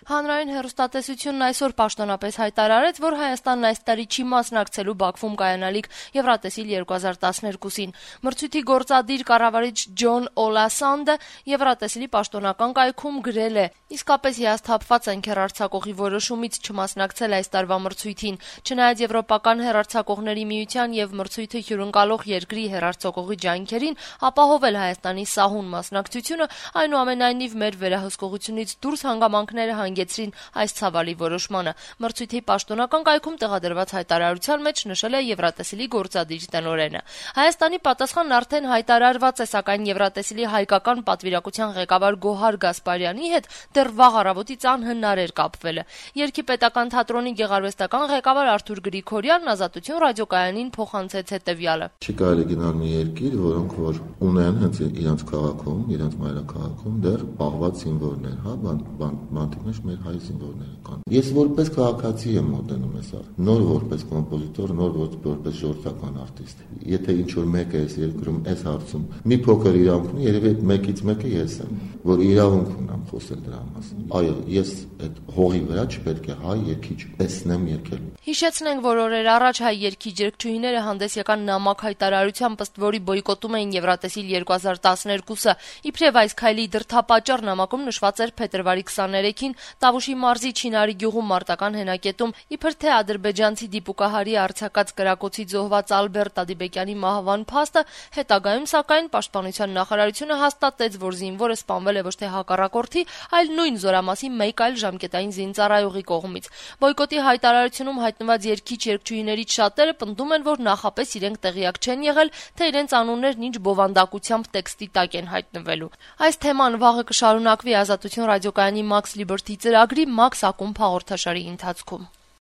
Հանրային հեռուստատեսությունն այսօր պաշտոնապես հայտարարեց, որ Հայաստանն այս տարի չի մասնակցելու Բաքվում կայանալիք Եվրատեսիլ 2012-ին։ Մրցույթի գործադիր կառավարիչ Ջոն Օլասանդը Եվրատեսիլի պաշտոնական կայքում գրել է. «Իսկապես հիասթափված ենք հեռարձակողի որոշումից չմասնակցել այս տարվա մրցույթին։ Չնայած Եվրոպական հեռարձակողների միության եւ մրցույթը հյուրընկալող երկրի հեռարձակողի ջանքերին ապահովել Հայաստանի սահուն մասնակցությունը, այնուամենայնիվ մեր վերահսկողությունից դուրս հանգամանքները հանգեցրին այս ցավալի որոշմանը»։ Մրցույթի պաշտոնական կայքում տեղադրված հայտարարության մեջ նշել է Եվրատեսիլի գործադիր տնօրենը։ Հայաստանի պատասխանն արդեն հայտարարված է, սակայն Եվրատեսիլի հայկական պատվիրակության ղեկավար Գոհար Գասպարյանի հետ դեռ վաղ առավոտից անհնար էր կապվելը։ Երգի պետական թատրոնի գեղարվեստական ղեկավար Արթուր Գրիգորյանն Ազատություն ռադիոկայանին փոխանցեց հետևյալը. Չի կարելի գնալ մի երկիր, որոնք որ ունեն հենց իրենց քաղաքում, իրենց մայրաքաղաքում դեռ պահված զինվորներ, հա, բանտի մեջ մեր հայ զինվորները կան։ Ես որպես քաղաքացի եմ մոտենում ես առ, նոր որպես կոմպոզիտոր, նոր որպես ժողովրդական արտիստ։ Եթե ինչ որ մեկը էս երկրում էս հարցում մի փոքր իրավունք ունի, երևի այդ մեկից մեկը ես եմ, որ իրավունք ունեմ խոսել դրա մասին։ Այո, ես այդ հողի վրա չպետք է հայ երգիչ տեսնեմ երգել։ Հիշեցնենք, որ օրեր առաջ հայ երգիչ երգչուհիները հանդես եկան նամակ հայտարարությամբ, ըստ որի բոյկոտում էին Եվրատեսիլ 2012-ը։ Իբրև այս քայլի դրդապատճառ նամակում նշված էր փետրվարի 23-ին Տավուշի մարզի Չինարի գյուղում մարտական հենակետում իբր թե ադրբեջանցի դիպուկահարի արձակած կրակոցի զոհված Ալբերտ Ադիբեկյանի մահվան փաստը, հետագայում սակայն Պաշտպանության նախարարությունը հաստատեց, որ զինվորը սպանվել է ոչ թե հակառակորդի, այլ նույն զորամասի մեկ այլ ժամկետային զինծառայողի կողմից։ Բոյկոտի հայտարարությունում հայտնված երգիչ երգչուհիներից շատերը պնդում են, որ նախապես իրենք տեղյակ չեն եղել, թե իրենց անուններն ինչ բովանդակությամբ տեքստի տակ են հայտնվելու։ Այս թեման վաղը կշարունակվի Ազատություն ռադիոկայանի Max Liberty ծրագրի Max ակումբ հաղորդաշարի ընթացքում։